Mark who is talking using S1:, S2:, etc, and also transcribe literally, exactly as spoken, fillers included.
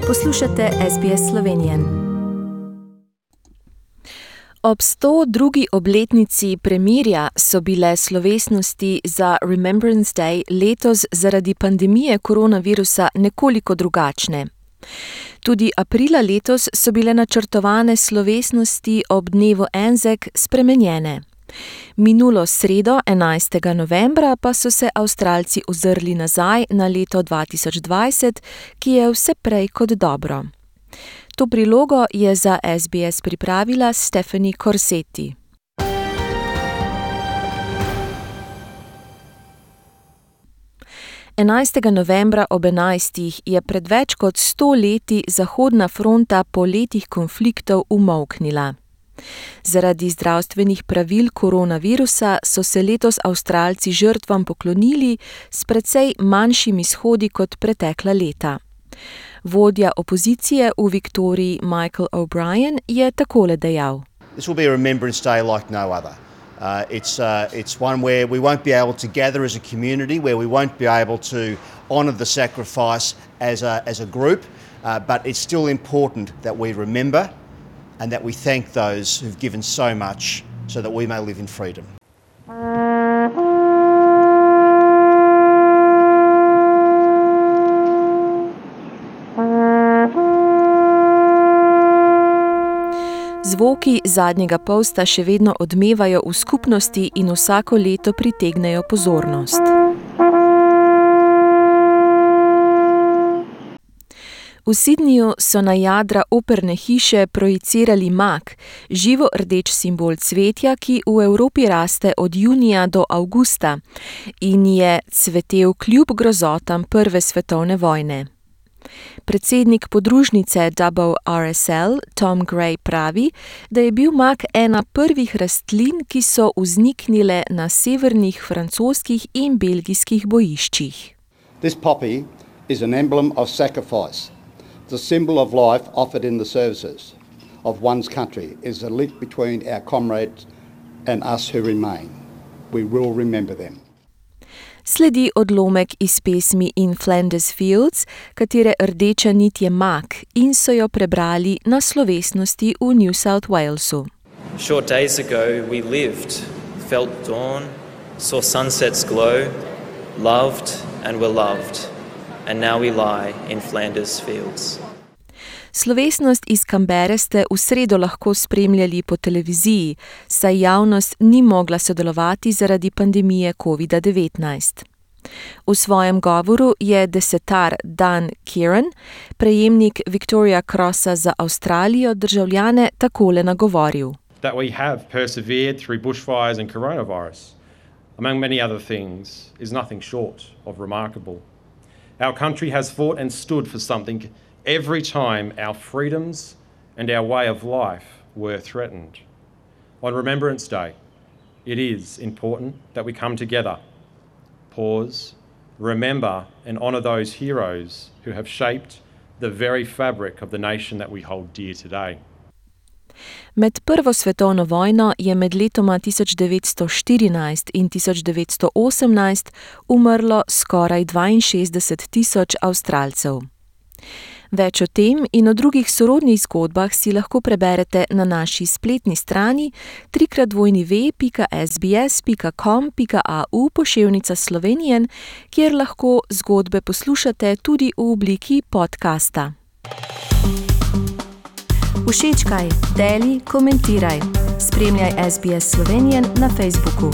S1: Poslušate S B S Slovenian. Ob sto drugi obletnici premirja so bile slovesnosti za Remembrance Day letos zaradi pandemije koronavirusa nekoliko drugačne. Tudi aprila letos so bile načrtovane slovesnosti ob dnevu Anzac spremenjene. Minulo sredo, enajstega novembra, pa so se Avstralci ozrli nazaj na leto dva tisoč dvajset, ki je vse prej kot dobro. To prilogo je za S B S pripravila Stephanie Corsetti. enajstega novembra ob enajstih je pred več kot sto leti Zahodna fronta po letih konfliktov umolknila. Zaradi zdravstvenih pravil koronavirusa so se letos Avstralci žrtvam poklonili s precej manjšimi shodi kot pretekla leta. Vodja opozicije v Viktoriji Michael O'Brien je takole dejal.
S2: This will be a Remembrance Day like no other. Uh, it's, uh, it's one where we won't be able to gather as a community, where we won't be able to honour the sacrifice as a, as a group, uh, but it's still important that we remember and that we thank those who've given so much so that we may live in freedom.
S1: Zvoki zadnjega polsta še vedno odmevajo v skupnosti in vsako leto pritegnejo pozornost. V Sydneyju so na jadra operne hiše projicirali mak, živo rdeč simbol cvetja, ki v Evropi raste od junija do avgusta in je cvetel kljub grozotam prve svetovne vojne. Predsednik podružnice W R S L Tom Gray pravi, da je bil mak ena prvih rastlin, ki so vzniknile na severnih francoskih in belgijskih bojiščih.
S3: This poppy is an emblem of sacrifice. The symbol of life offered in the services of one's country is a link between our comrades and us who remain. We will remember them.
S1: Sledi odlomek iz pesmi In Flanders Fields, katere rdeča nit je mak in so jo prebrali na slovesnosti v New South Walesu.
S4: Short days ago we lived, felt dawn, saw sunsets glow, loved and were loved, and now we lie in Flanders Fields.
S1: Slovesnost iz Canberre ste v sredo lahko spremljali po televiziji, saj javnost ni mogla sodelovati zaradi pandemije covid devetnajst. V svojem govoru je desetar Dan Kieran, prejemnik Victoria Crossa za Avstralijo, državljane takole nagovoril.
S5: That we have persevered through bushfires and coronavirus, among many other things, is nothing short of remarkable. Our country has fought and stood for something every time our freedoms and our way of life were threatened. On Remembrance Day, it is important that we come together, pause, remember and honour those heroes who have shaped the very fabric of the nation that we hold dear today.
S1: Med prvo svetovno vojno je med letoma tisoč devetsto štirinajst in tisoč devetsto osemnajst umrlo skoraj dvainšestdeset tisoč Avstralcev. Več o tem in o drugih sorodnih zgodbah si lahko preberete na naši spletni strani trikrat dvojni ve pika sbs pika com pika au poševnica Slovenian, kjer lahko zgodbe poslušate tudi v obliki podcasta. Všečkaj, deli, komentiraj. Spremljaj S B S Slovenian na Facebooku.